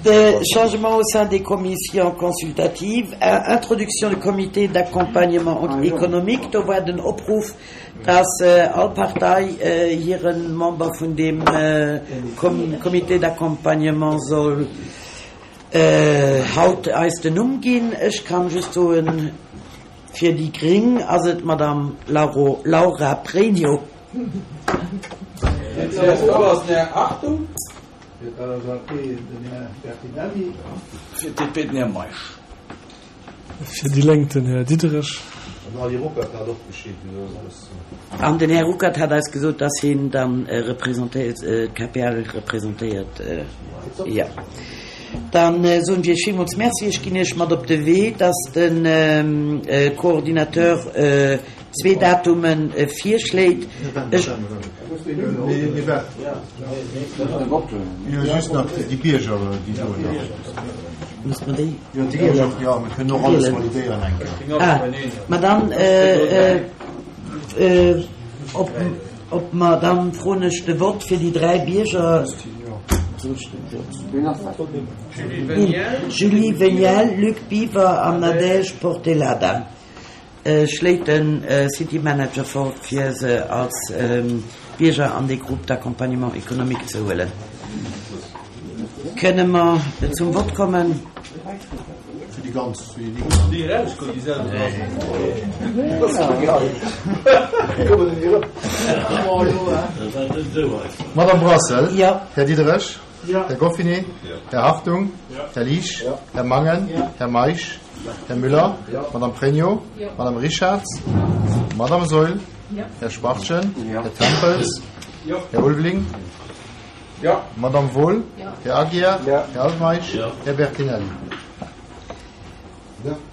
De Changement au sein des commissions consultatives, Introduction du comité d'accompagnement économique, do war den Opruff, dass all Partei hire Member vun deem Comité d'accompagnement soll haut eis den Numm ginn. Ech kann just soen, fir déi gréng ass et d'Madame Laura Pregno. Fir d'CSV ass den Här Hartung. Fir d'LSAP den Här Bertinelli. Fir d'DP den Här Meisch. Fir déi Lénk den Här Diderich. Den Ali Ruckert hat och Bescheed gesot. An den Här Ruckert hat eis gesot, dass hien dann representéiert, d'KPL representéiert. Jo. Dann soen ech Iech villmools Merci. Ech ginn Iech mat op de Wee, dass de Coordinateur zwee Datume virschléit. Ech. Ah, ma dann, ob mer, dann froen ech de Vott fir déi dräi Bierger. Julie Veniel, Luc Biver an Nadège Portelada. Schléit de City Manager vor, fir se als Bierger an dee Groupe d'accompagnement économique ze huelen. Kënne mer zum Vott kommen? Madame Brassel? Här Diderich? Här Goffinet? Här Hartung? Här Liesch? Här Mangen? Här Meisch? Här Müller? Madame Pregno? Madame Richarz? Madame Saeul? Här Schwachtgen? Här Tempels? Här Ulveling? Madame Wohl? Här Aguiar? Här Altmeisch? Här Bertinelli?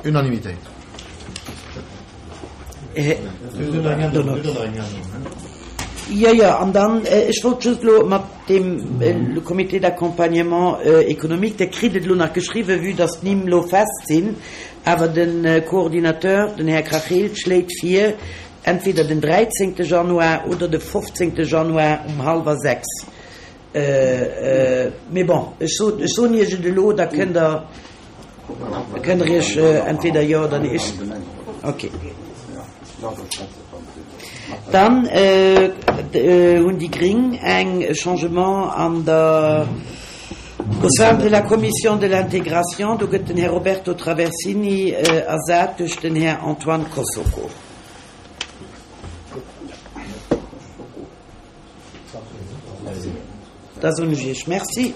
Unanimitéit. Jo, jo, an dann, ech wollt just elo mat deem Comité d'accompagnement économique, Der kritt et elo nach geschriwwen, vue dass d'Nimm elo fest sinn, awer de Coordinateur, den Här Krachel, schléit vir, entweder den 13. Januar oder de 15. Januar um hallwer 6. Mee bon, ech sot, ech soen Iech et elo, da kënnt Der, kënnt Der Iech entweder jo oder nee. Ech, okay. Dann hunn déi Gring eng Changement an der, au sein de la Commission de l'intégration, do gëtt den Här Roberto Traversini ersat duerch den Här Antoine Kossoko. Da soen ech Iech Merci.